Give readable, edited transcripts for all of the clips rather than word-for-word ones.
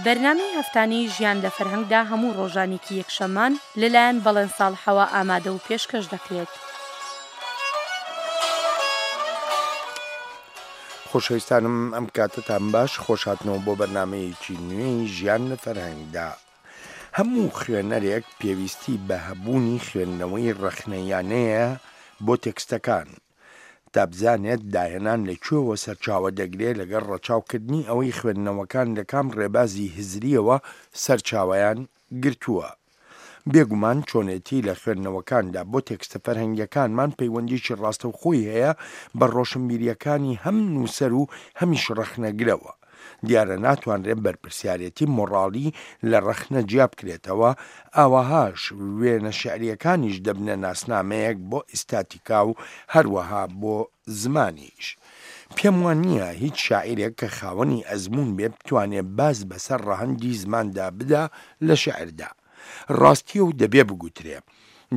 بەرنامەی هەفتانەی ژیان لە فەرهەنگدا هەموو ڕۆژانێکی یەکشەممان لەلایەن بەڵێن ساڵحەوە ئامادە و پێشکەش دەکرێت. خۆشەویستانم ئەم کاتەتان باش خۆشهاتنەوە بۆ بەرنامەیەکی نوێی ژیان لە فەرهەنگدا. هەموو خوێنەرێک پێویستی بە هەبوونی خوێندنەوەی ڕەخنەییانەیە بۆ تێکستەکان. تا بزانێت داهێنان لە کوێوە سەرچاوە دەگرێ لەگەڵ ڕەچاوکردنی ئەوەی خوێندنەوەکان لە کام ڕێبازی هزرییەوە سەرچاوەیان گرتووە. بێگومان چۆنێتی لە خوێندنەوەکاندا بۆ تێکستە فەرهەنگییەکانمان پەیوەندیی ڕاستەوخۆی هەیە بە ڕۆشنبیرییەکانی هەم نووسەر و هەمیش ڕەخنەگرەوە. دیارە ناتوانرێ بەرپرسیارێتی مۆڕاڵی لە ڕەخنە جیابکرێتەوە، ئاوەهاش وێنە شیعرییەکانیش دەبنە ناسنامەیەک بۆ ئیستاتیکا و هەروەها بۆ زمانیش. پێم وا نییە هیچ شاعیرێک کە خاوەنی ئەزموون بێ بتوانێ باز بەسەر ڕەهەندی زماندا بدا لە شیعردا. ڕاستییە و دەبێ بگوترێ.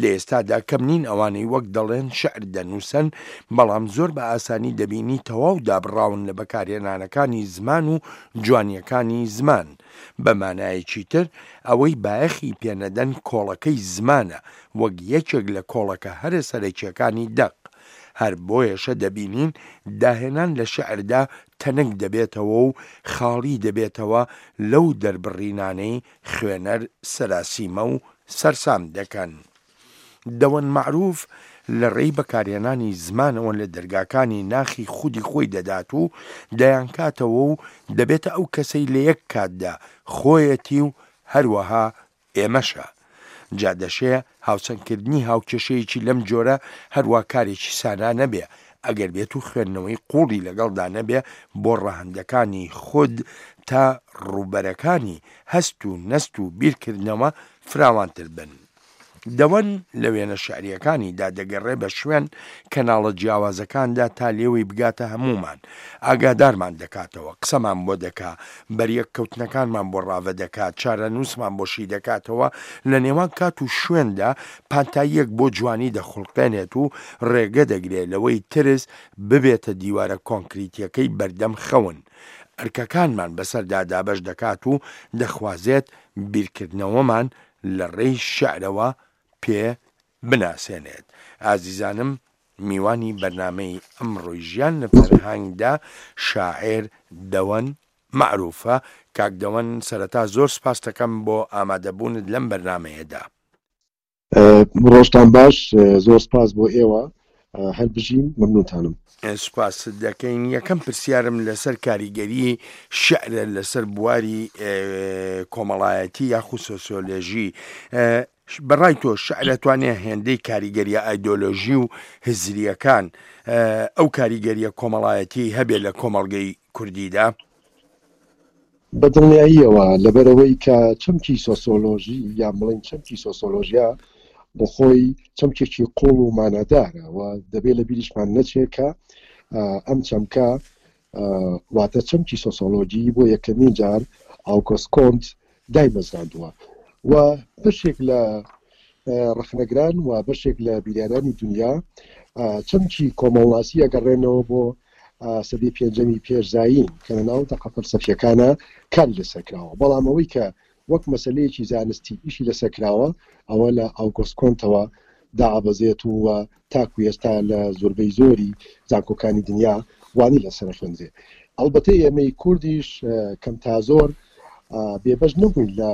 لە ئێستادا کەم نین ئەوانەی وەک دەڵێن شیعر دەنووسن، بەڵام زۆر بە ئاسانی دەبینی تەواو دابڕاون لە بەکارهێنانەکانی زمان و جوانییەکانی زمان. بە مانایەکی تر ئەوەی بایەخی پێنەدەن کۆڵەکەی زمانە وەک یەکێک لە کۆڵەکە هەرە سەرەکییەکانی دەق. هەر بۆیەشە دەبینین داهێنان لە شیعردا تەنک دەبێتەوە و خاڵی دەبێتەوە لەو دەربڕینانەی خوێنەر سەراسیمە و سەرسام دەکەن. دەوەن مەعروف لە ڕێی بەکارهێنانی زمانەوە لە دەرگاکانی ناخی خودی خۆی دەدات و دەیانکاتەوە و دەبێتە ئەو کەسەی لە یەک کاتدا خۆیەتی و هەروەها ئێمەشە. جا دەشێ هاوسەنگکردنی هاوکێشەیەکی لەم جۆرە هەروا کارێکی سانا نەبێ، ئەگەر بێتو خوێندنەوەی قووڵی لەگەڵدا نەبێ بۆ ڕەهەندەکانی خود تا ڕووبەرەکانی هەست و نەست و بیرکردنەوە فراوانتر بن. دەوەن لە وێنە شیعرییەکانیدا دەگەڕێ بە شوێن کەناڵە جیاوازەکاندا تا لێوەی بگاتە هەموومان، ئاگادارمان دەکاتەوە، قسەمان بۆ دەکا، بەریەککەوتنەکانمان بۆ ڕاڤە دەکا، چارەنووسمان بۆ شی دەکاتەوە، لە نێوان کات و شوێندا پانتاییەک بۆ جوانی دەخوڵقێنێت و ڕێگە دەگرێ لەوەی ترس ببێتە دیوارە کۆنکریتییەکەی بەردەم خەون ئەرکەکانمان بەسەردا دابەش دەکات و دەخوازێت بیرکردنەوەمان لە ڕێی شیعرەوە پێ بناسێنێت. ئازیزانم میوانی بەرنامەی ئەمڕۆی ژیان لە فەرهەنگدا شاعێر دەوەن مەعروفە. کاک دەوەن سەرەتا زۆر سپاستەکەم بۆ ئامادەبوونت لەم بەرنامەیەدا. ڕۆژتان باش، زۆر سپاس بۆ ئێوە، هەر بژین، مەمنونتانم. سوپاست دەکەین. یەکەم پرسیارم لەسەر کاریگەری شیعرە لەسەر بواری کۆمەڵایەتی یاخود سۆسیۆلۆژی. بەڕای تۆ شیعر ئەتوانێ هێندەی کاریگەریە ئایدۆلۆژی و هزریەکان ئەو کاریگەریە کۆمەڵایەتیەی هەبێ لە کۆمەڵگەی کوردیدا؟ بە دڵنیاییەوە، لەبەرئەوەی کە چەمکی سۆسۆلۆژی یان بڵێین چەمکی سۆسۆلۆژیا بۆ خۆی چەمکێکی قوڵ و مانادارە و دەبێ لە بیریشمان نەچێ کە ئەم چەمکە واتە چەمکی سۆسۆلۆژی بۆ یەکەمین جار ئاوگۆست کۆنت دایمەزراندووە و بەشێک لە ڕەخنەگران و بەشێک لە بیریارانی دنیا چەمکی کۆمەڵناسی ئەگەڕێنەوە بۆ سەدەی پێنجەمی پێش زایین کە لە ناو دەقە فەلسەفیەکانە کاری لەسەر کراوە، بەڵام ئەوەی کە وەک مەسەلەیەکی زانستی ئیشی لەسەر کراوە ئەوە لە ئاوگۆست کۆنتەوە دائەبەزێت و تاکو ئێستا لە زۆربەی زۆری زانکۆکانی دنیا وانەی لەسەر ئەخوێندرێ. ئەڵبەتە ئێمەی کوردیش کەم تا زۆر بێبەش نەبووین لە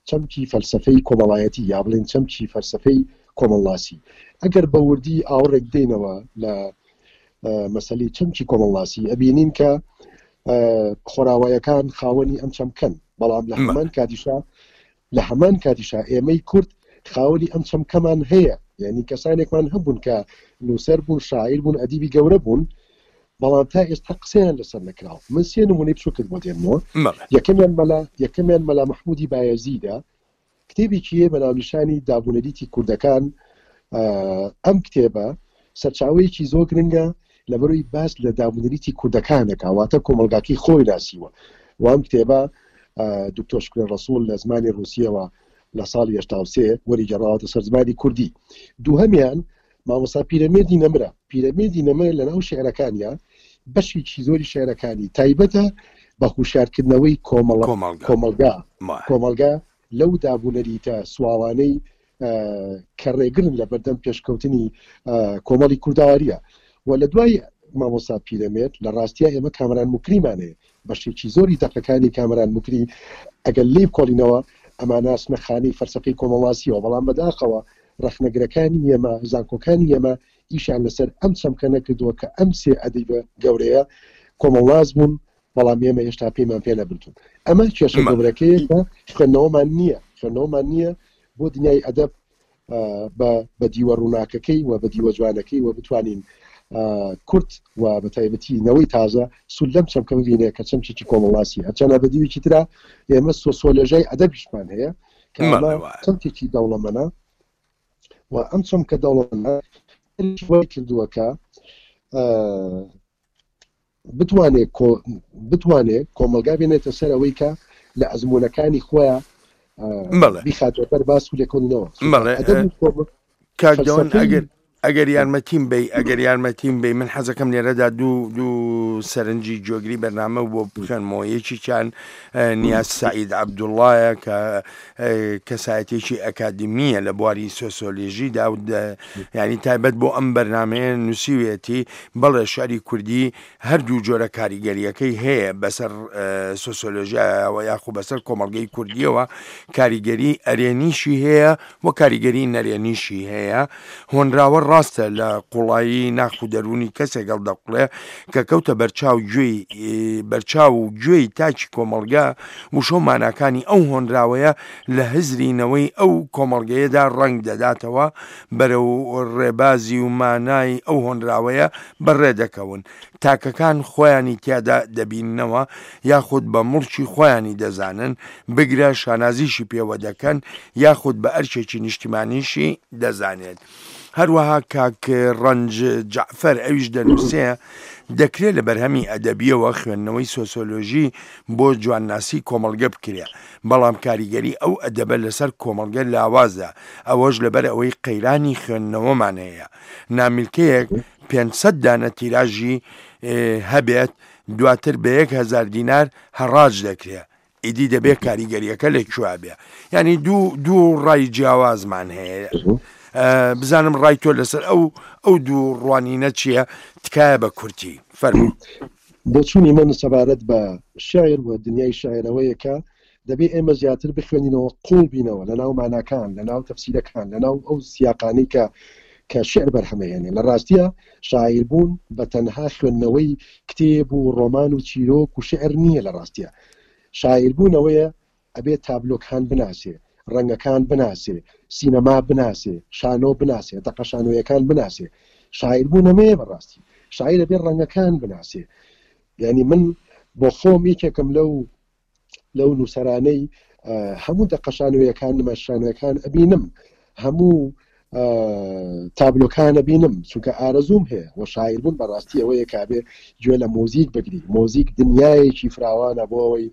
چەمکی فەلسەفەی کۆمەڵایەتی یا بڵێین چەمکی فەلسەفەی کۆمەڵناسی. ئەگەر بە وردی ئاوڕێک بدەینەوە لە مەسەلەی چەمکی کۆمەڵناسی ئەبینین کە خۆراوایەکان خاوەنی ئەم چەمکەن بەڵام لە هەمان کاتیشا لە هەمان کاتیشا ئێمەی کورد خاوەنی ئەم چەمکەمان هەیە یعنی کەسانێکمان هەبوون کە نووسەر بوون شاعیر بوون ئەدیبی گەورە بوون بەڵام تا ئێستا قسەیان لەسەر نەکراوە من سێ نمونەی بچووکت بۆ دێنمەوە یەکەمیان مەلا یەکەمیان مەلا مەحمودی بایەزیدە کتێبێکی هەیە بە ناونیشانی دابونەریتی کوردەکان ئەم کتێبە سەرچاوەیەکی زۆر گرنگە لەبەرەوەی باس لە دابونەریتی کوردەکان دەکا واتە کۆمەڵگاکەی خۆی ناسیوە وام کتێبە دکتۆر شکرە ڕسوول لە زمانی ڕوسیەوە لە ساڵی 83 وەری گەڕاوەتە سەر زمانی کوردی دووهەمیان مامۆستا پیرەمێردی نەمرە پیرەمێردی نەمر لە ناو شعرەکانیا بەشێکی زۆری شعرەکانی تایبەتە. بە هوشیارکردنەوەی کۆمەڵە کۆمەڵگا کۆمەڵگا لەو دابونەریتە سواوانەی کە ڕێگرن لە بەردەم پێشکەوتنی کۆمەڵی کوردەواریە و لە دوای مامۆستا پیرەمێرد لە ڕاستیا ئێمە کامەران موکریمان هەیە بەشێکی زۆری دەقەکانی کامەران موکری ئەگەر لێی بکۆڵینەوە ئەمانە ئەچنە خانەی فەلسەفەی کۆمەڵناسیەوە بەڵام بەداخەوە ڕەخنەگرەکانی ئێمە زانکۆکانی ئێمە ئیشیان لەسەر ئەم چەمکە نەکردووە کە ئەم سێ ئەدیبە گەورەیە کۆمەڵناس بوون بەڵام ئێمە هێشتا پێیمان پێ نەبردوون ئەمە کێشە گەورەکەیە کە خوێندنەوەمان نییە خوێندنەوەمان نییە بۆ دنیای ئەدەب بە بە دیوە ڕووناکەکەی و بە دیوە جوانەکەی و بتوانین کورد و بە تایبەتی نەوەی تازە سوود لەم چەمکە ببینێ کە چەمکێکی کۆمەڵناسی هەرچەندە بە دیوێکی ترا ئێمە سۆسۆلۆژیای ئەدەبیشمان هەیە کە ئەمە چەمکێکی دەوڵەمەنە و ئەم چەمکە دەوڵەمەنە وای کردووە کە بتوانێ بتوانێ کۆمەڵگا بێنێتە سەر ئەوەی کە لە ئەزموونەکانی خۆیان بیخاتەوە بەر باس و لێکۆڵینەوە. کاک دەوەن ئەگەر ئەگەر یارمەتیم بی ئەگەر یارمەتیم بی من حەزەکەم لێرەدا دوو دوو سەرنجی جۆگری بەرنامە بۆ بخوێنمەوە یەکێکیان نیاز سعید عەبدوڵایە کە کەسایەتێکی ئەکادمیە لە بواری سۆسۆلێژیدا و ینی تایبەت بۆ ئەم بەرنمەیە نووسیوێتی بەڵێ شعری کوردی هەردوو جۆرە کاریگەریەکەی هەیە بەسەر سۆسۆلۆژیایەوە یاخو بەسەر کۆمەڵگەی کوردیەوە کاریگەری ئەرێنیشی هەیە و کاریگەری نەرێنیشی هەیە هۆنراوە ڕاستە لە قوڵایی ناخ و دەروونی کەسێک هەڵدەقوڵێ کە کەوتە بەرچاو گوێی بەرچاو و گوێی تاکی کۆمەڵگە وشە و ماناکانی ئەو هۆنراوەیە لە هزری نەوەی ئەو کۆمەڵگەیەدا ڕەنگ دەداتەوە بەرەو ڕێبازی و مانای ئەو هۆنراوەیە بەڕێ دەکەون تاکەکان خۆیانی تیادا دەبیننەوە یاخود بە موڵکی خۆیانی دەزانن، بگرە شانازیشی پێوە دەکەن یاخود بە ئەرکێکی نیشتیمانیشی دەزانێت. هەروەها کاک ڕەنج جەعفەر ئەویش دەنووسێ، دەکرێ لە بەرهەمی ئەدەبییەوە خوێندنەوەی سۆسۆلۆژی بۆ جوانناسی کۆمەڵگە بکرێ، بەڵام کاریگەری ئەو ئەدەبە لەسەر کۆمەڵگە لاوازە، ئەوەش لەبەر ئەوەی قەیرانی خوێندنەوەمان هەیە. نامیلکەیەک 500 دانە تیراژی هەبێت دواتر بە 1000 دینار هەڕاج دەکرێ ئیدی دەبێت کاریگەریەکە لە کوێ بێ ینی دوو دوو ڕای جیاوازمان هەیە بزانم ڕای تۆ لەسەر ئەو ئەو دوو ڕوانینە چییە تکایە بە کورتی فەرموو. بۆچوونی من سەبارەت بە شعر و دنیای شعرەوەیە کە دەبێ ئێمە زیاتر بخوێنینەوە، قووڵ بینەوە لە ناو ماناکان، لە ناو تەفسیرەکان، لە ناو ئەو سیاقانەی کە کە شیعر بەرهەمەهێنێ. لە ڕاستیا شاعیر بوون بە تەنها خوێندنەوەی کتێب و ڕۆمان و چیرۆک و شیعر نییە لە ڕاستیا شاعیر بوون ئەوەیە ئەبێ تابلۆکان بناسێ، ڕەنگەکان بناسێ، سینەما بناسێ، شانۆ بناسێ، دەقە شانۆیەکان بناسێ. شاعیر بوون ئەمەیە بە ڕاستی. شاعیر ئەبێ ڕەنگەکان بناسێ. یانی من بۆ خۆم یەکێکم لەو لەو نووسەرانەی هەموو دەقە شانۆیەکان نمایشانەکان ئەبینم هەموو تابلۆکان ئەبینم چونکە ئارەزووم هەیە و شاعیر بوون بەڕاستی ئەوەیە کابێ گوێ لە مۆزیک بگری مۆزیک دنیایەکی فراوانە بۆ ئەوەی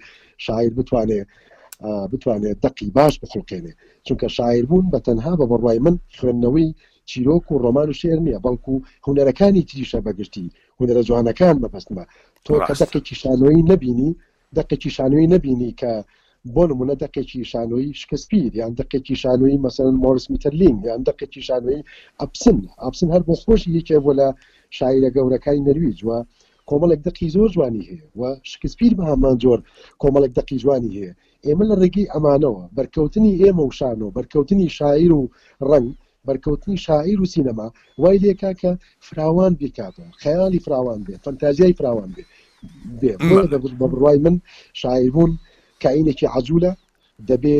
شاعیر بتوانێ بتوانێت دەقی باش بخڵقێنێ چونکە شاعیر بوون بە تەنها بە بڕوای من خوێندنەوەی چیرۆک و ڕۆمان و شعر نییە بەڵکو هونەرەکانی تریشە بەگشتی هونەرە جوانەکان مەبەستمە تۆ کە دەقێکی شانۆیی نەبینی دەقێکی شانۆیی نەبینی کە بۆ نمونە دەقێکی شانۆیی شکسپیر یان دەقێکی شانۆیی مەسەلەن مۆرس میتەرلینگ یان دەقێکی شانۆیی ئەپسن ئەپسن هەر بۆ خۆشی یەکێ بۆ لە شاعیرە گەورەکانی نەرویج و کۆمەڵێک دەقی زۆر جوانی هەیە و شکسپیر بە هەمان جۆر کۆمەڵێک دەقی جوانی هەیە ئێمە لە ڕێگەی ئەمانەوە بەرکەوتنی ئێمە و شانۆ بەرکەوتنی شاعیر و ڕەنگ بەرکەوتنی شاعیر و سینەما وای لێکا کە فراوان بیرکاتەوە، خەیاڵی فراوان بێ، فەنتازیای فراوان بێ بێ. بۆیە بە بڕوای من شاعیربوون کائینێکی عەجولە، دەبێ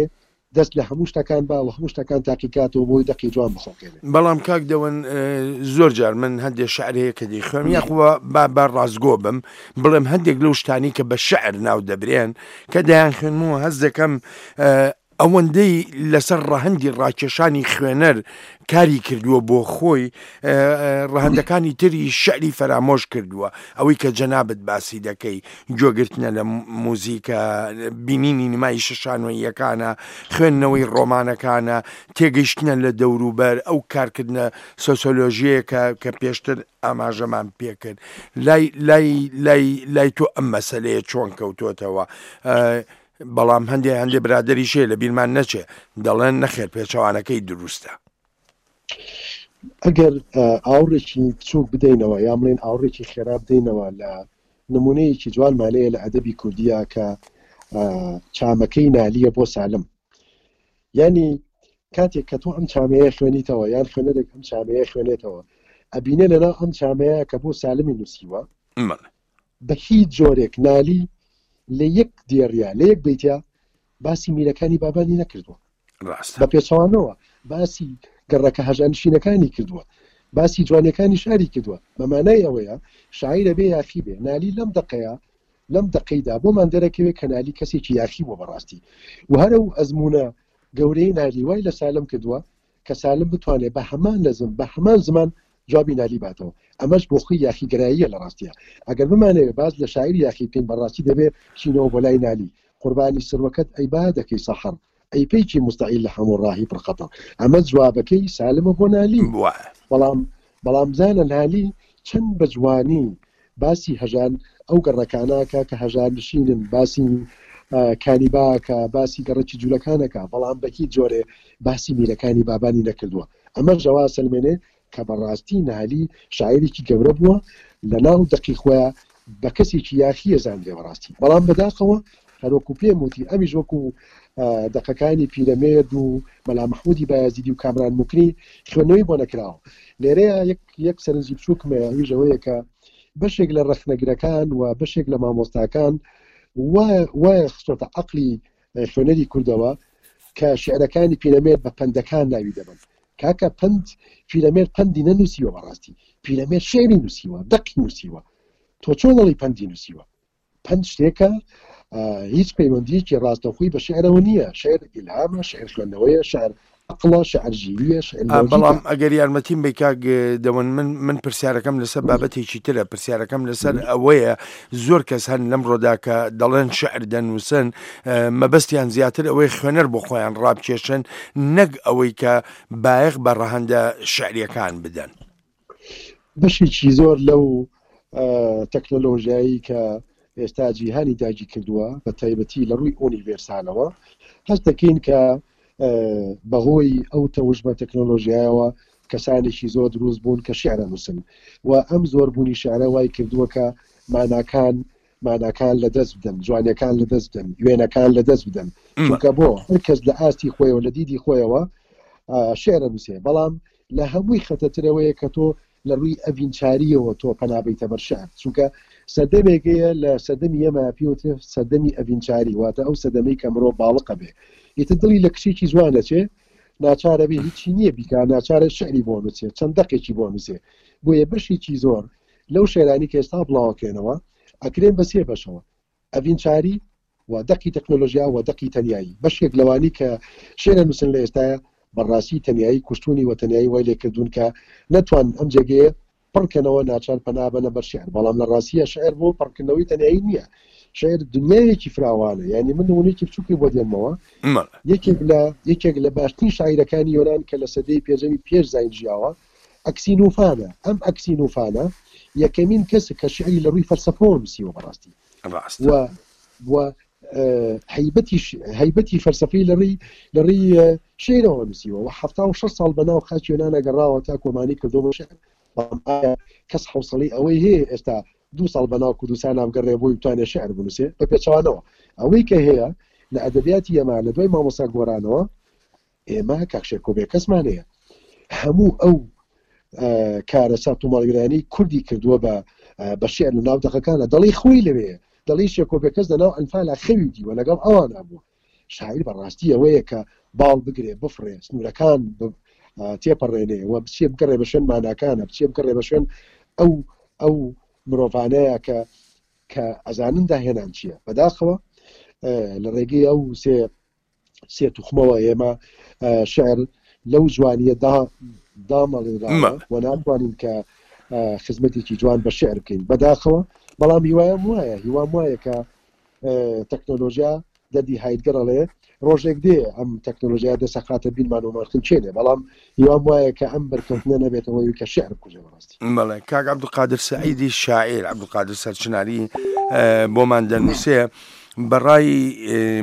دەست لە هەموو شتەکان با و هەموو شتەکان تاقیکاتەوە بۆی دەقی جوان بخوڵقێنێ. بەڵام کاک دەوەن زۆر جار من هەندێ شعر هەیە کە دەیخوێنم یاخوا با با ڕاستگۆ بم بڵێم هەندێک لەو شتانی کە بە شعر ناو دەبرێن کە دەیانخوێنم و هەست دەکەم. ئەوەندەی لەسەر ڕەهەندی ڕاکێشانی خوێنەر کاری کردووە بۆ خۆی ڕەهەندەکانی تری شعری فەرامۆش کردووە ئەوەی کە جەنابت باسی دەکەی گوێگرتنە لە موزیکە بینینی نمایشە شانۆییەکانە خوێندنەوەی ڕۆمانەکانە تێگەیشتنە لە دەوروبەر ئەو کارکردنە سۆسۆلۆژیەیە کە کە پێشتر ئاماژەمان پێکرد لای لای لای لای تۆ ئەم مەسەلەیە چۆن کەوتۆتەوە بەڵام هەندێ هەندێ برادەریش هەیە لە بیرمان نەچێ دەڵێن نەخێر پێچەوانەکەی دروستە. ئەگەر ئاوڕێکی بچووک بدەینەوە یان بڵێین ئاوڕێکی خێرا بدەینەوە لە نمونەیەکی جوانمان هەیە لە ئەدەبی کوردیە کە چامەکەی نالیە بۆ سالم یعنی کاتێک کە تۆ ئەم چامەیە خوێنیتەوە یان خوێنەرێک ئەم چامەیە خوێنێتەوە ئەبینێ لەناو ئەم چامەیە کە بۆ سالمی نووسیوە بە هیچ جۆرێک نالی لە یەک دێڕیا لە یەک بەیتیا باسی میرەکانی بابانی نەکردووە ڕاستە بە پێچەوانەوە باسی گەڕەکە هەژانشینەکانی کردووە باسی جوانیەکانی شاری کردووە بە مانای ئەوەیە شاعیر ئەبێ یاخی بێ نالی لەم دەقەیە لەم دەقەیدا بۆمان دەرەکەوێت کە نالی کەسێکی یاخی بووە بەڕاستی و هەر ئەو ئەزموونە گەورەی نالی وای لە سالم کردووە کە سالم بتوانێت بە هەمان نەزم بە هەمان زمان جوابی نالی باتەوە ئەمەش بۆ خۆی یاخیگەراییە لە ڕاستیا ئەگەر بمانەوێ باس لە شاعیر یاخی بکەین بەڕاستی دەبێ بچینەوە بۆ لای نالی قوربانی سروەکەت ئەی با دەکەی سەحەر ئەی پەیکی موستەعیل لە هەموو ڕاهی پڕ خەتەر ئەمە جوابەکەی سالمە بۆ نالی وایە. بەڵام بەڵام بزانە نالی چەند بە جوانی باسی هەژان ئەو گەڕەکانە ئەکا کە هەژار نشینن باسی کانیبا ئەکا باسی گەڕەکی جولەکان ئەکا بەڵام بە هیچ جۆرێ باسی میرەکانی بابانی نەکردووە ئەمەش ئەوە ئەسەلمێنێ کە بەڕاستی نالی شاعیرێکی گەورە بووە لەناو دەقی خۆیا بە کەسێکی یاخی ئەزانرێ بەڕاستی بەڵام بەداخەوە هەروەکو پێم وتی ئەمیش وەکو دەقەکانی پیرەمێرد و مەلا مەحمودی بایەزیدی و کامران موکری خوێندنەوەی بۆ نەکراوە لێرەیە یەک یەک سەرنجی بچووکم هەیە ئەویش ئەوەیە کە بەشێک لە ڕەخنەگرەکان و بەشێک لە مامۆستاکان وایە خستۆتە عەقلی خوێنەری کوردەوە کە شعرەکانی پیرەمێرد بە پەندەکان ناوی دەبەن کاکە پەند پیرەمێرد پەندی نەنووسیوە بەڕاستی پیرەمێرد شعری نووسیوە دەقی نووسیوە تۆ چۆن دەڵێی پەندی نووسیوە پەند شتێکە هیچ پەیوەندیەکی ڕاستەوخۆی بە شعرەوە نییە شعر ئیلهامە شعر خوێندنەوەیە شعر عەقڵە شعر ژیریە شعر لۆجیکە. بەڵام ئەگەر یارمەتیم بەی کاک دەوەن من من پرسیارەکەم لەسەر بابەتێکی ترە پرسیارەکەم لەسەر ئەوەیە زۆر کەس هەن لەمڕۆدا کە دەڵێن شعر دەنووسن مەبەستیان زیاتر ئەوەی خوێنەر بۆ خۆیان ڕابکێشن نەک ئەوەی کە بایەخ بە ڕەهەندە شعریەکان بدەن. بەشێکی زۆر لەو تەکنەلۆژیایی کە ئێستا جیهانی داگی کردووە بە تایبەتی لە ڕووی ئۆنیڤێرسالەوە هەست دەکەین کە بەهۆی ئەو تەوژمە تەکنەلۆژیایەوە کەسانێکی زۆر دروست بوون کە شعرە نووسن و ئەم زۆربوونی شعرە وای کردووە کە ماناکان ماناکان لە دەست بدەن جوانیەکان لە دەست بدەن وێنەکان لە دەست بدەن چونکە بۆ هەر کەس لە ئاستی خۆیەوە لە دیدی خۆیەوە شعرە نووسێ بەڵام لە هەمووی خەتەترەوەیە کە تۆ لە ڕووی ئەڤینچاریەوە تۆ پەنابیتە بەر شعر چونکە سەردەمێک هەیە لە سەردەمی ئێمە پێوترێ سەردەمی ئەڤینچاری واتە ئەو سەردەمەی کە مرۆڤ باڵقە بێ ئیتر دڵی لە کچێکی جوان ئەچێ ناچارە بێ هیچی نییە بیکا ناچارە شعری بۆ نووسێ چەند دەقێکی بۆ نووسێ بۆیە بەشێکی زۆر لەو شعرانی کە ئێستا بڵاوەکرێنەوە ئەکرێن بە سێ بەشەوە ئەڤینچاری و دەقی تەکنۆلۆژیا و دەقی تەنیایی. بەشێک لەوانی کە شیعر ئەنووسن لە ئێستایا بەڕاستی تەنیایی کوشتوونی و تەنیایی وای لێ کردوون کە نەتوانن ئەم جێگەیە پڕ کەنەوە ناچار پەنا بەنە بەر شیعر بەڵام لە ڕاستییا شیعر بۆ پڕکردنەوەی تەنیایی نییە شیعر دنیایەکی فراوانە یانی من نموونەیەکی بچووکی بۆ دێنمەوە یەکێک لە یەکێک لە باشترین شاعیرەکانی یۆنان کە لە سەدەی پێنجەمی پێش زاین ژیاوە ئەکسینوفانە ئەم ئەکسینوفانە یەکەمین کەسە کە شیعری لە ڕووی فەلسەفەوە نووسیوە بەڕاستی ڕاستە. و و هەیبەتی هەیبەتی فەلسەفەی لە ڕێی لە ڕێی شعرەوە نووسیوە و 76 ساڵ بە ناو خاکی یۆنانە گەڕاوە تا کۆمانی کردووە بە شعر بەڵام ئایا کەس حەوسەڵەی ئەوەی هەیە ئێستا دوو ساڵ بە ناو کوردستانا بگەڕێ بۆی بتوانێ شعر بنووسێ بە پێچەوانەوە ئەوەی کە هەیە لە ئەدەبیاتی ئێمە لە دوای مامۆستا گۆرانەوە ئێمە کاک شێرکۆ بێکەسمان هەیە هەموو ئەو کارەسات و ماڵوێرانەی کوردی کردووە بە بە شعر لە ناو دەقەکانە دەڵی خۆی لەوێ دەڵی شێرکۆ بێکەس لە ناو ئەنفالا خەوی دیوە لەگەڵ ئەوانە بووە شاعیر بەڕاستی ئەوەیە کە باڵ بگرێ بفڕێ سنوورەکان تێپەڕێنێ و بچێ بگەڕێ بە شوێن ماناکانە بچێ بگەڕێ بە شوێن ئەو ئەو مرۆڤانەیە کە کە ئەزانن داهێنان چییە بەداخەوە لە ڕێگەی ئەو سێ. سێ توخمەوە ئێمە شعر لەو جوانیە دا دامەڵێنراوە و ناتوانین کە خزمەتێکی جوان بە شعر بکەین بەداخەوە بەڵام هیوایم وایە هیوام وایە کە تەکنۆلۆژیا دەردی هایدگەر ئەڵێ ڕۆژێک دێ ئەم تەکنۆلۆژیا دەسەخاتە بیرمان و مەرخنچێنێ بەڵام هیوام وایە کە ئەم بەرکەوتنە نەبێتەوەی کە شعر بکوژێ بەڕاستی. بەڵێ کاک عەبدولقادر سەعیدی شاعیر عەبدولقادر سەرچناری بۆمان دەنووسێ بەڕای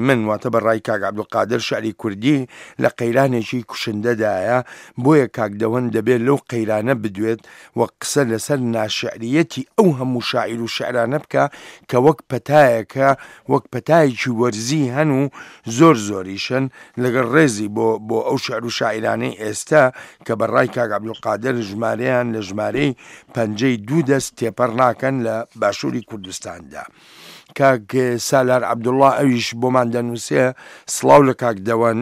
من واتە بە ڕای کاک عەبدولقادر شعری کوردی لە قەیرانێکی کوشندەدایە بۆیە کاک دەوەن دەبێت لەو قەیرانە بدوێت و قسە لەسەر ناشعریەتی ئەو هەموو شاعیر و شعرانە بکە کە وەک پەتایەکە وەک پەتایەکی وەرزی هەن و زۆر زۆریشن لەگەڵ ڕێزی بۆ بۆ ئەو شعر و شاعیرانەی ئێستا کە بە ڕای کاک عەبدولقادر ژمارەیان لە ژمارەی پەنجەی دوو دەست تێپەڕ ناکەن لە باشووری کوردستاندا. کاک سالار عەبدوڵڵا ئەویش بۆمان دەنووسێ سڵاو لە کاک دەوەن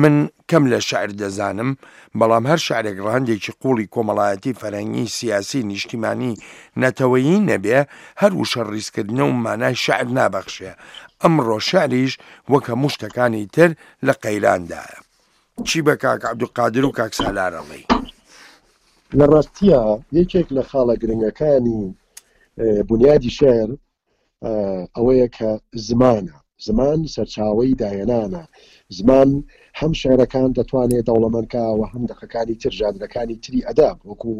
من کەم لە شعر دەزانم بەڵام هەر شعرێک ڕەهەندێکی قوڵی کۆمەڵایەتی فەرهەنگی سیاسی نیشتیمانی نەتەوەیی نەبێ هەر وشە ڕیزکردنە و مانای شعر نابەخشێ ئەمڕۆ شعریش وەک هەموو شتەکانی تر لە قەیراندایە. چی بە کاک عەبدولقادر و کاک سالار ئەڵێی؟ لە ڕاستیا یەکێک لە خاڵە گرنگەکانی بونیادی شعر ئەوەیە کە زمانە، زمان سەرچاوەی داهێنانە، زمان هەم شعرەکان دەتوانێ دەوڵەمەند کا و هەم دەقەکانی تر، ژانرەکانی تری ئەدەب وەکو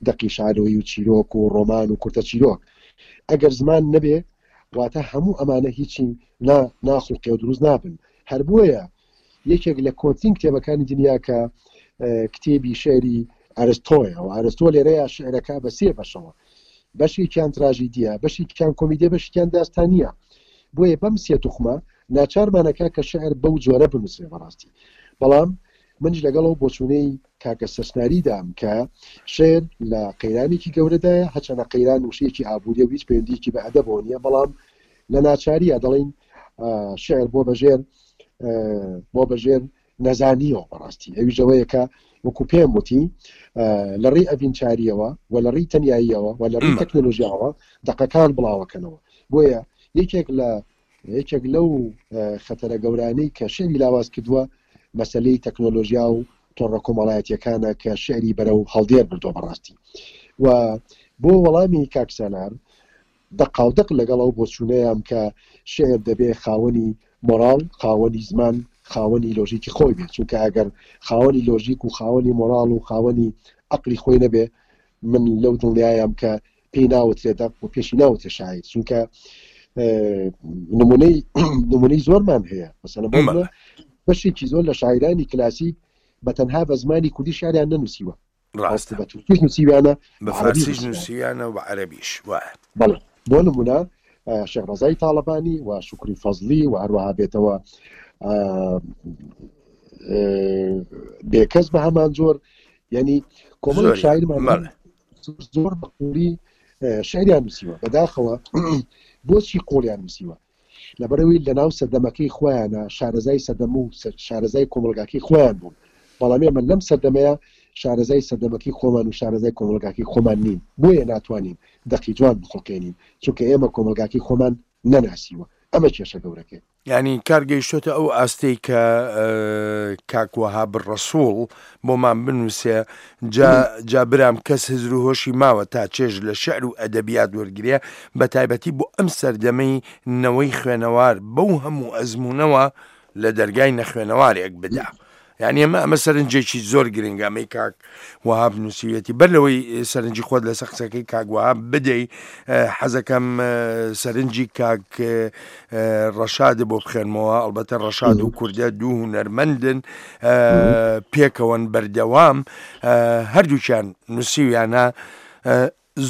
دەقی شانۆیی و چیرۆک و ڕۆمان و کورتە چیرۆک. ئەگەر زمان نەبێ واتە هەموو ئەمانە هیچی نا ناخوڵقێ و دروست نابن. هەر بۆیە یەکێک لە کۆنترین کتێبەکانی دنیا کە کتێبی شعری ئەرستۆیە و ئەرستۆ لێرەیە شعرەکە بە سێ بەشەوە بەشێکیان تراژیدیە بەشێکیان کۆمیدیە بەشێکیان داستانیە بۆیە بەم سێ توخمە ناچارمانەکە کە شعر بەو جۆرە بنووسێ بەڕاستی بەڵام منیش لەگەڵ ئەو بۆچوونەی کاکە سەرچناریدام کە شعر لە قەیرانێکی گەورەدایە هەچەنە قەیران وشەیەکی ئابووریە و هیچ پەیوەندیەکی بە ئەدەبەوە نییە بەڵام لە ناچاریە دەڵین شعر بۆ بەژێر بۆ بەژێر نەزانیەوە بەڕاستی ئەویش ئەوەیە کە وەکو پێم وتی لە ڕێی ئەڤینچاریەوە و لە ڕێی تەنیاییەوە و لە ڕێی تەکنەلۆژیاوە دەقەکان بڵاوەکەنەوە بۆیە یەکێک لە یەکێک لەو خەتەرە گەورانەی کە شعری لاواز کردووە مەسلەی تەکنۆلۆژیا و تۆڕە کۆمەڵایەتیەکانە کە شعری بەرەو هەڵدێر بردووە بەڕاستی و بۆ وەڵامی کاک سالار دەقاودەق لەگەڵ ئەو بۆچوونەیام کە شیعر دەبێ خاوەنی مۆراڵ، خاوەنی زمان، خاوەنی لۆژیکی خۆی بێ، چونکە ئەگەر خاوەنی لۆژیک و خاوەنی مۆراڵ و خاوەنی عەقڵی خۆی نەبێ، من لەو دڵنیایام کە پێی ناوترێ دەق و پێشی ناوترێ شاعیر، چونکە نمونەی نمونەی زۆرمان هەیە، مەسەلەن بۆ نمونە بەشێکی زۆر لە شاعیرانی کلاسیک بە تەنها بە زمانی کوردی شیعریان نەنووسیوە. ڕاستە بە تورکیش نووسیویانە بە فارسیش نووسیویانە و بە عەرەبیش وایە. بەڵێ بۆ نمونە شێخ ڕەزای تاڵەبانی و شوکری فەزلی و هەروەها بێتەوە بێکەس بە هەمان جۆر یعنی کۆمەڵێک شاعیرمان زۆر بە قوڵی شعریان نووسیوە بەداخەوە بۆچی قوڵیان نووسیوە لەبەرئەوەی لەناو سەردەمەکەی خۆیانا شارەزای سەردەم و شارەزای کۆمەڵگاکەی خۆیان بوون، بەڵام ئێمە لەم سەردەمەیا شارەزای سەردەمەکەی خۆمان و شارەزای کۆمەڵگاکەی خۆمان نین، بۆیە ناتوانین دەقی جوان بخوڵقێنین، چونکە ئێمە کۆمەڵگاکەی خۆمان نەناسیوە، ئەمە کێشە گەورەکەیە. یانی کار گەیشتۆتە ئەو ئاستەی کە کاک وەهاب ڕەسوڵ بۆمان بنووسێ جا جا برام کەس هزر و هۆشی ماوە تا چێژ لە شعر و ئەدەبیات وەرگرێ بە تایبەتی بۆ ئەم سەردەمەی نەوەی خوێنەوار بەو هەموو ئەزموونەوە لە دەرگای نەخوێنەوارێک بدا. یعنی ئەمە ئەمە سەرنجێکی زۆر گرنگە ئەمەی کاک وەهاب نووسیویەتی بەر لەوەی سەرنجی خۆت لەسەر قسەکەی کاک وەهاب بدەی حەزەکەم سەرنجی کاک ڕەشاد بۆ بخێنمەوە ئەڵبەتە ڕەشاد و کوردە دوو هونەرمەندن پێکەوەن بەردەوام هەردووکیان نووسیویانە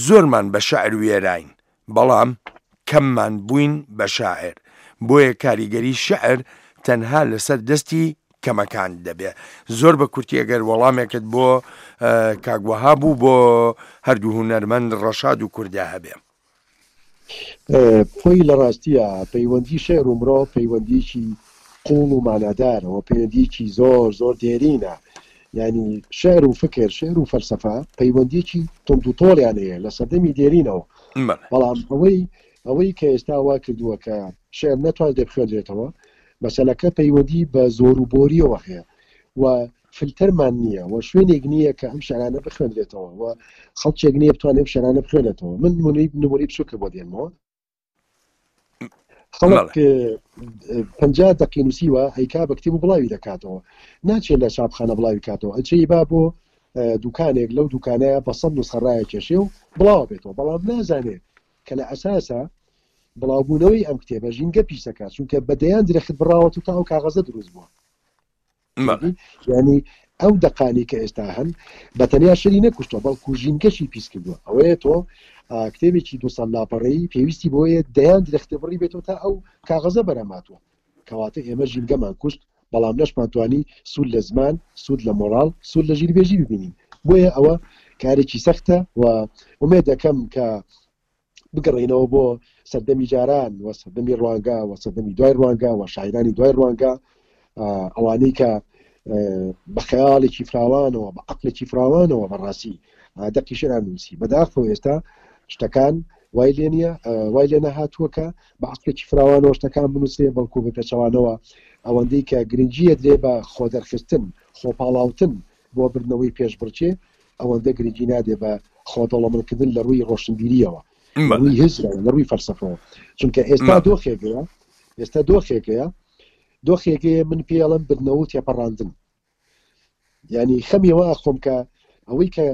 زۆرمان بە شعر وێراین بەڵام کەممان بووین بە شاعر، بۆیە کاریگەری شیعر تەنها لەسەر دەستی کەمەکان دەبێ. زۆر بە کورتی ئەگەر وەڵامێکت بۆ کاک وەهاب و بۆ هەردوو هونەرمەند ڕەشاد و کوردە هەبێ. خۆی لە ڕاستیا پەیوەندی شیعر و مرۆڤ پەیوەندییەکی قووڵ و مانادارە و پەیوەندییەکی زۆر زۆر دێرینە. یانی شعر و فکر، شعر و فەلسەفە پەیوەندییەکی توند و تۆڵیان هەیە لە سەردەمی دێرینەوە. بەڵام ئەوەی ئەوەی کە ئێستا وا کردووە کە شعر نەتوانرێت بخوێندرێتەوە. مەسەلەکە پەیوەندی بە زۆر و بۆریەوە هەیە و فلتەرمان نییە و شوێنێک نییە کە ئەم شعرانە بخوێنرێتەوە و خەڵکێک نییە بتوانێت ئەم شعرانە بخوێنێتەوە. من نمونەی نمونەی بچووکە بۆ دێنمەوە. خەڵک 50 دقی نووسیوە ئەیکا بە کتێب و بڵاوی دەکاتەوە، ناچێت لە چاپخانە بڵاوی کاتەوە، ئەچێ با بۆ دوکانێک لەو دوکانەیە بە 100 نوسخە ڕایەکێشێ و بڵاوە بێتەوە، بەڵام نازانێت کە لە ئەساسا بڵاوبوونەوەی ئەم کتێبە ژینگە پیسەکە، چونکە بە دەیان درەخت بڕاوەت و تا ئەو کاغەزە دروست بووە. ینی ئەو دەقانی کە ئێستا هەن بە تەنیا شەری نەکوشتوە بەڵکو ژینگەشی پیس کردووە. ئەوەیە تۆ کتێبێکی دو سەد لاپەڕەیی پێویستی بۆیە دەیان درەختە بڕی بێتەوە تا ئەو کاغەزە بەرهەماتوە. کەواتە ئێمە ژینگەمان کوشت، بەڵام نەشمان توانی سوود لە زمان، سوود لە مۆراڵ، سوود لە ژیربێژی ببینین. بۆیە ئەوە کارێکی سەختە و ئومێد دەکەم کە بگەڕێینەوە بۆ سەردەمی جاران و سەردەمی ڕوانگا و سەردەمی دوای ڕوانگا و شاعیرانی دوای ڕوانگا، ئەوانەی کە بە خەیاڵێکی فراوانەوە، بە عەقڵێکی فراوانەوە بەڕاستی دەقی شیعریان نووسی. بەداخەوە ئێستا شتەکان وای لێ نییە، وای لێ نەهاتووە کە بە عەقڵێکی فراوانەوە شتەکان بنووسێ، بەڵکو بە پێچەوانەوە ئەوەندەی کە گرنگییە درێ بە خۆدەرخستن، خۆپاڵاوتن بۆ بردنەوەی پێشبڕکێ، ئەوەندە گرنگی نادێ بە خۆدەوڵەمەندکردن لە ڕووی ڕۆشنبیرییەوە، لە ڕووی هزرەوە، لە ڕووی فەلسەفەوە. چونکە ئێستا دۆخێکەیە، ئێستا دۆخێکەیە، دۆخێکەیە من پێی ئەڵێم بردنەوە و تێپەڕاندن. یعنی خەمی ئەوە ئەخۆم کە ئەوەی کە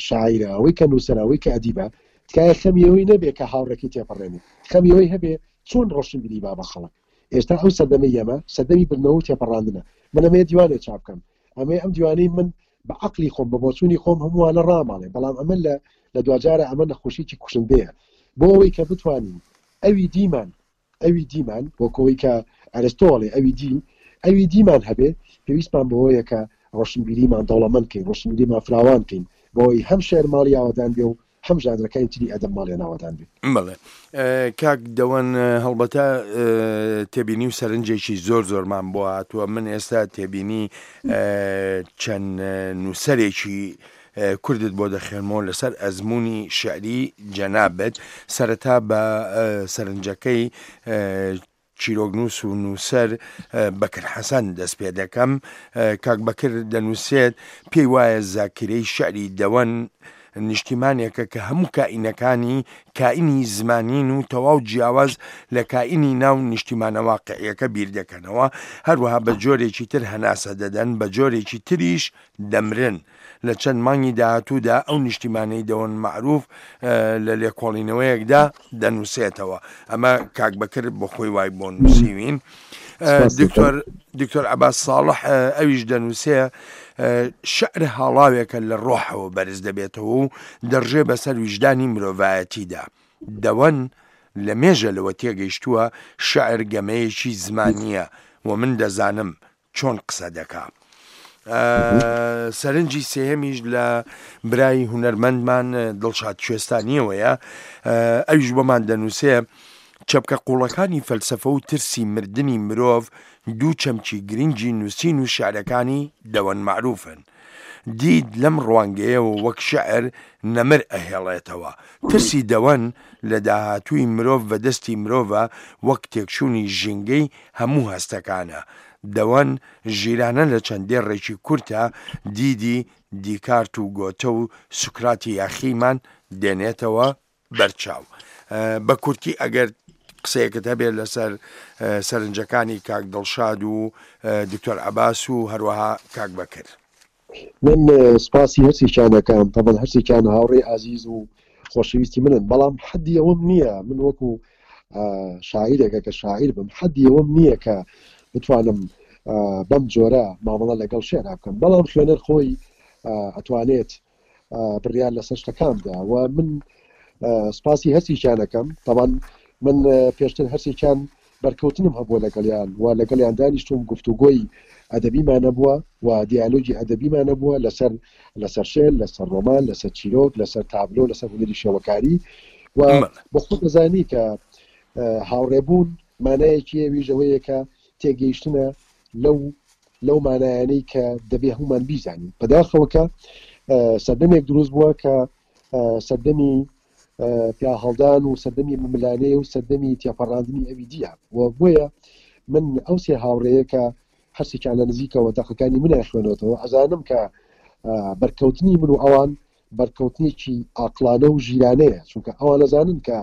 شاعیرە، ئەوەی کە نووسەرە، ئەوەی کە ئەدیبە، تکایە خەمی ئەوەی نەبێ کە هاوڕێکی تێپەڕێنێ، خەمی ئەوەی هەبێ چۆن ڕۆشنبیری با بە خەڵک. ئێستا ئەو سەردەمەی ئێمە سەردەمی بردنەوە و تێپەڕاندنە. من ئەمەیە دیوانێ چاپ بکەم، ئەمەیە ئەم دیوانەی من بە عەقلی خۆم، بە بۆچوونی خۆم هەمووانە ڕاماڵێ، بەڵام ئەمە لە لە دواجارە ئەمە نەخۆشیی کوشندەیە. بۆ ئەوەی کە بتوانین ئەوی دیمان، ئەوی دیمان، وەک ئەوەی کە ئەرستۆ ئەڵێ ئەوی دی، ئەوی دیمان هەبێ، پێویستمان بەوەیە کە ڕۆشنبیریمان دەوڵەمەند کەین، ڕۆشنبیریمان فراوان کەین، بۆ ئەوەی هەم شیعر ماڵی ئاوەدان بێ و هەم ژانرەکانی تری ئەدەب ماڵیان ئاوەدان بێ. بەڵێ کاک دەوەن، هەڵبەتە تێبینی و سەرنجێکی زۆر زۆرمان بۆ هاتووە. من ئێستا تێبینی چەند نووسەرێکی کوردت بۆ دەخوێنمەوە لەسەر ئەزموونی شیعری جەنابت. سەرەتا بە سەرنجەکەی چیرۆکنووس و نووسەر بەکر حەسەن دەست پێ دەکەم. کاک بەکر دەنووسێت، پێی وایە زاکیرەی شیعری دەوەن نیشتیمانێکە کە هەموو کائینەکانی کائینی زمانین و تەواو جیاواز لە کائینی ناو نیشتیمانە واقعیەکە بیر دەکەنەوە، هەروەها بە جۆرێکی تر هەناسە دەدەن، بە جۆرێکی تریش دەمرن. لە چەند مانگی داهاتوودا ئەو نیشتیمانەی دەوەن مەعروف لە لێکۆڵینەوەیەکدا دەنووسێتەوە. ئەمە کاک بەکر بۆ خۆی وای بۆ نووسیوین. دکتۆر دکتۆر عەباس ساڵح ئەویش دەنووسێ شعر هاڵاوێکە لە ڕۆحەوە بەرز دەبێتەوە و دەڕژێ بەسەر ویژدانی مرۆڤایەتیدا. دەوەن لە مێژە لەوە تێگەیشتووە شعر گەمەیەکی زمانییە و من دەزانم چۆن قسە دەکا. سەرنجی سێهەمیش لە برای هونەرمەندمان دڵشاد کوێستانیەوەیە، ئەویش بۆمان دەنووسێ چەپکە قوڵەکانی فەلسەفە و ترسی مردنی مرۆڤ دوو چەمکی گرنگی نووسین و شعرەکانی دەوەن مەعروفن. دید لەم ڕوانگەیەوە وەک شعر نەمر ئەهێڵێتەوە. ترسی دەوەن لە داهاتووی مرۆڤ بە دەستی مرۆڤە وەک تێکچوونی ژینگەی هەموو هەستەکانە. دەوەن ژیرانە لە چەند دێڕێکی کورتە دیدی دیکارت و گۆتە و سوکراتی یاخیمان دێنێتەوە بەرچاو. بە کورتی ئەگەر قسەیەکت هەبێت لەسەر سەرنجەکانی کاک دڵشاد و دکتۆر عەباس و هەروەها کاک بەکر. من سپاسی هەرسێکیان دەکەم، تەبەن هەرسێکیان هاوڕێی ئازیز و خۆشەویستی منن، بەڵام حەدی ئەوەم نییە من وەکو شاعیرێکە کە شاعیر بم حەدی ئەوەم نییە کە بتوانم بەم جۆرە مامەڵە لەگەڵ شعرا بکەم، بەڵام خوێنەر خۆی ئەتوانێت بڕیار لەسەر شتەکان بدا و من سپاسی هەرسێکیان دەکەم. تەبەن من پێشتر هەرسێکیان بەرکەوتنم هەبووە لەگەڵیان و لەگەڵیان دانیشتووم، گفتوگۆی ئەدەبیمان هەبووە و دیالۆگی ئەدەبیمان هەبووە لەسەر لەسەر شعر، لەسەر ڕۆمان، لەسەر چیرۆک، لەسەر تابلۆ، لەسەر هونەری شێوەکاری و بۆ خۆت دەزانی کە هاوڕێبوون مانایەکی ئەویش ئەوەیە کە تێگەیشتنە لەو لەو مانایانەی کە دەبێ هەموومان بیزانین. بەداخەوە کە سەردەمێک دروست بووە کە سەردەمی پیاهەڵدان و سەردەمی ململانێ و سەردەمی تێپەڕاندنی ئەوی دیە و بۆیە. من ئەو سێ هاوڕێیە کە هەرسێکیان لە نزیکەوە دەقەکانی منیان خوێنەوەتەوە ئەزانم کە بەرکەوتنی من و ئەوان بەرکەوتنێکی ئاقڵانە و ژیرانەیە چونکە ئەوان ئەزانن کە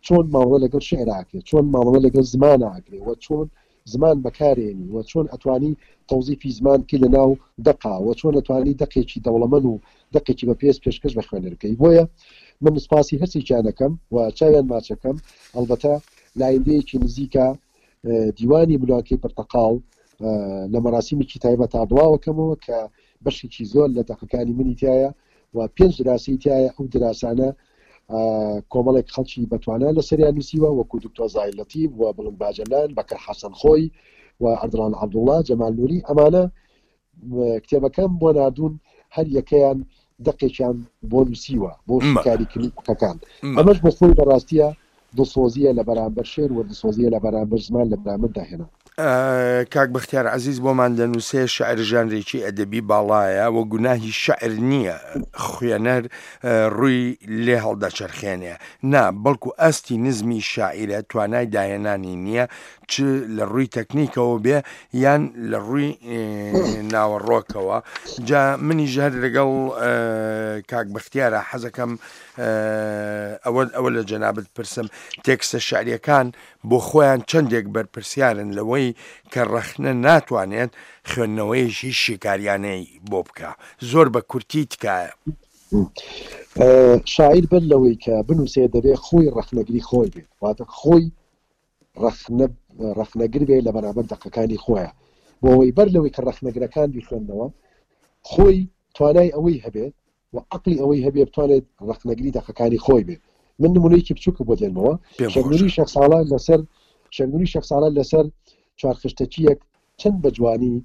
چۆن مامەڵە لەگەڵ شعر ئاکرێ چۆن مامەڵە لەگەڵ زمان ئاکرێ و چۆن زمان بەکارێنی و چۆن ئەتوانی تەوزیفی زمان بکەی لە ناو دەقا و چۆن ئەتوانی دەقێکی دەوڵەمەند و دەقێکی بەپێز پێشکەش بە خوێنەر بکەی بۆیە من سپاسی هەرسێکیان ئەکەم و چاویان ماچەکەم ئەڵبەتە لایندەیەکی نزیکە دیوانی ملوانکەی پرتەقاڵ لە مەراسیمێکی تایبەتا بڵاوەکەمەوە کە بەشێکی زۆر لە دەقەکانی منی تایە و پێنج دراسی تایە ئەو دراسانە کۆمەڵێک خەڵکی بەتوانا لەسەریان نووسیوە وەکو دکتۆر زاهیر لەتیف و بڵند باجەلان بەکر حەسەن خۆی و ئەردڵان عەبدوڵڵا جەمال نوری ئەمانە کتێبەکەم بۆ ناردوون هەر یەکەیان دەقێکیان بۆ نووسیوە بۆ شیکاریکردنی دەقەکان ئەمەش بۆ خۆی بەڕاستیە دڵسۆزییە لە بەرامبەر شێر و دڵسۆزییە لە بەرامبەر زمان لە بەرامبەر داهێنان. کاک بەختیار عەزیز بۆمان دەنووسێ، شیعر ژانرێکی ئەدەبی باڵایە و گوناهی شیعر نییە خوێنەر ڕووی لێ هەڵدەچەرخێنێ، نا، بەڵکو ئاستی نزمی شاعیرە توانای داهێنانی نییە چ لە ڕووی تەکنیکەوە بێ یان لە ڕووی ناوەڕۆکەوە. جا منیش هەر لەگەڵ کاک بەختیارا حەزەکەم ئەوە ئەوە لە جەنابت پرسم تێکستە شعریەکان بۆ خۆیان چەندێک بەرپرسیارن لەوەی کە ڕەخنە ناتوانێت خوێندنەوەیەکی شیکاریانەی بۆ بکا زۆر بە کورتی تکایە. شاعیر بەر لەوەی کە بنووسێ دەبێ خۆی ڕەخنەگری خۆی بێت واتە خۆی ڕەخنە ڕەخنەگر بێ لە بەرامبەر دەقەکانی خۆیان بۆ ئەوەی بەر لەوەی کە ڕەخنەگرەکان بیخوێندنەوە خۆی توانای ئەوەی هەبێت و عەقڵی ئەوەی هەبێ بتوانێت ڕەخنەگری دەقەکانی خۆی بێ من نمونەیەکی بچووکە بۆ دێنمەوە پێم شێخ خۆشە. نوری شێخ ساڵە لەسەر شێخ نوری شێخ ساڵە لەسەر چوارخشتەچییەک چەند بە جوانی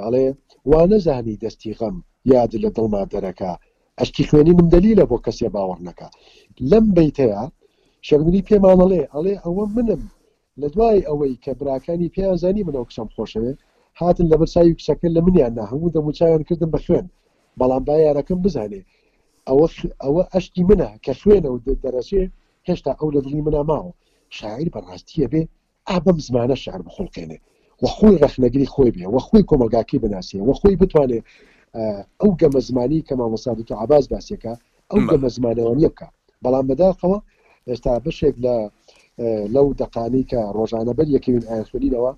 ئەڵێ وا نەزانی دەستی غەم یاد لە دڵما دەرەکا ئەشکی خوێنینم دەلیلە بۆ کەسێ باوەڕ نەکا لەم بەیتەیا شێخ نوری پێمان ئەڵێ ئەڵێ ئەوە منم لە دوای ئەوەی کە براکانی پێیان زانی من ئەو کچەم خۆشەوێ، هاتن لەبەر چاوی کچەکە لە منیان نا، هەموو دەموچاویان کردم بە خوێن، بەڵام با یارەکەم بزانێ ئەوە ئەوە ئەشکی منە کە خوێنە و دەرەچێ، هێشتا ئەو لە دڵی منا ماوە. شاعیر بە ڕاستی ئەبێ ئا بەم زمانە شیعر بخوڵقێنێ و خۆی ڕەخنەگری خۆی بێ و خۆی کۆمەڵگاکەی بناسێ و خۆی بتوانێ ئەو گەمە زمانی کە مامۆستا دکتۆر عەباس باسیەکا ئەو گەمە زمانەوانیە بکا بەڵام بەداخەوە ئێستا بەشێک لە لەو دەقانەی کە ڕۆژانە بەر یەکەوین ئایانخوێنینەوە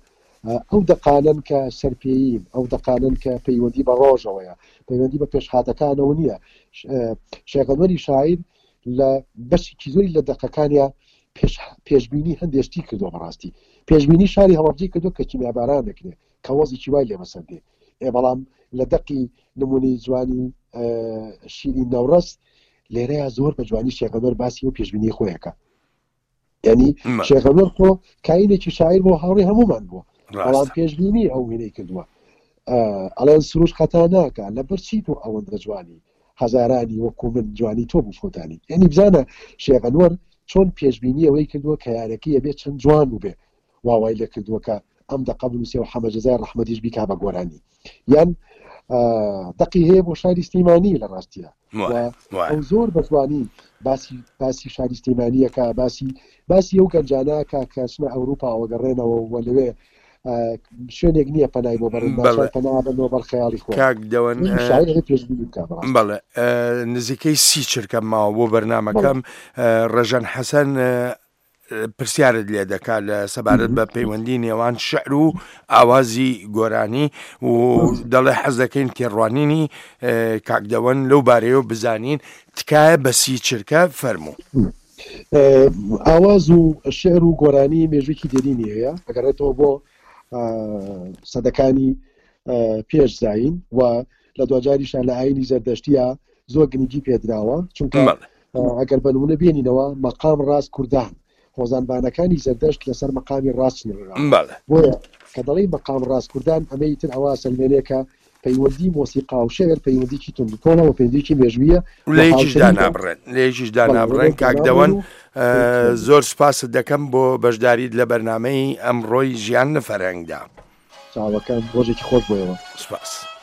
ئەو دەقانەن کە سەرپێیین ئەو دەقانەن کە پەیوەندی بە ڕۆژەوەیە پەیوەندی بە پێشهاتەکانەوە نییە شێخەنوەری شاعیر لە بەشێکی زۆری لە دەقەکانیا پێشبینی هەندێک شتی کردووە بەڕاستی پێشبینی شاری هەڵەبجەی کردو کە کیمیاباران دەکرێت کە وەزیکی وای لێ بەسەر دێ ئێ بەڵام لە دەقی نمونەی جوانی شیرین نەوڕەس لێرەیە زۆر بە جوانی شێخەنوەر باسی و پێشبینی خۆیەکە یعنی شێخەنوەر خۆ کاینێکی شاعیر بۆ هاوڕێ هەمومان بووە بەڵام پێشبینی ئەو وێنەی کردووە ئەڵێن سروش خەتا ناکە لەبەر چی تۆ ئەوەندە جوانی هەزارانی وەکو من جوانی تۆ بوو فۆتانی یعنی بزانە شێخەنوەر چۆن پێشبینی ئەوەی کردووە کە یارەکەی ئەبێ چەند جوان بوو بێ وا وای لێ کردووە کە ئەم دەقە بنووسێ و حەمە جەزای ڕەحمەتیش بیکا بە گۆرانی یان دەقی هەیە بۆ شاری سلیمانی لە ڕاستیە ئەو زۆر بە جوانی باسی باسی شاری سلیمانیەکە باسی باسی ئەو گەنجانە کە کە چنە ئەوروپاوە گەڕێنەوە و لەوێ شوێنێک نییە پەنای بۆ بەرن پەنا بەنەوە بەر خەیاڵی خۆ کاک دەوەن بەڵێ نزیکەی سی چرکە ماوە بۆ بەرنمەکەم ڕێژەن حەسەن پرسیارت لێ دەکات لە سەبارەت بە پەیوەندی نێوان شعر و ئاوازی گۆرانی و دەڵێ حەز دەکەین تێڕوانینی کاک دەوەن لەو بارەیەوە بزانین تکایە بە سی چرکە فەرموو. ئاواز و شعر و گۆرانی مێژوویەکی دێرینی هەیە ئەگەڕێتەوە بۆ سەدەکانی پێش زایین و لە دواجاریشا لە ئاینی زەردەشتیە زۆر گرنگی پێدراوە چونکە ئەگەر بە نمونە بێنینەوە مەقام ڕاست کوردان هۆزانبانەکانی زەردەشت لەسەر مەقامی ڕاست چنراون بۆیە کە دەڵێی مەقام ڕاست کوردان ئەمەی تر ئەوە سەلمێنێ کە پەیوەندی مۆسیقا و شعر پەیوەندیکی توندوتۆڵە و پەیوەندیکی مێژوویە لە یەکیش دانابڕێن لە یەکیش دانابڕێن کاک دەوەن زۆر سوپاست دەکەم بۆ بەشداریت لە بەرنامەی ئەمڕۆی ژیان لە فەرهەنگدا. چاوەکەم ڕۆژێکی خۆش بۆ ئێوە. سوپاس.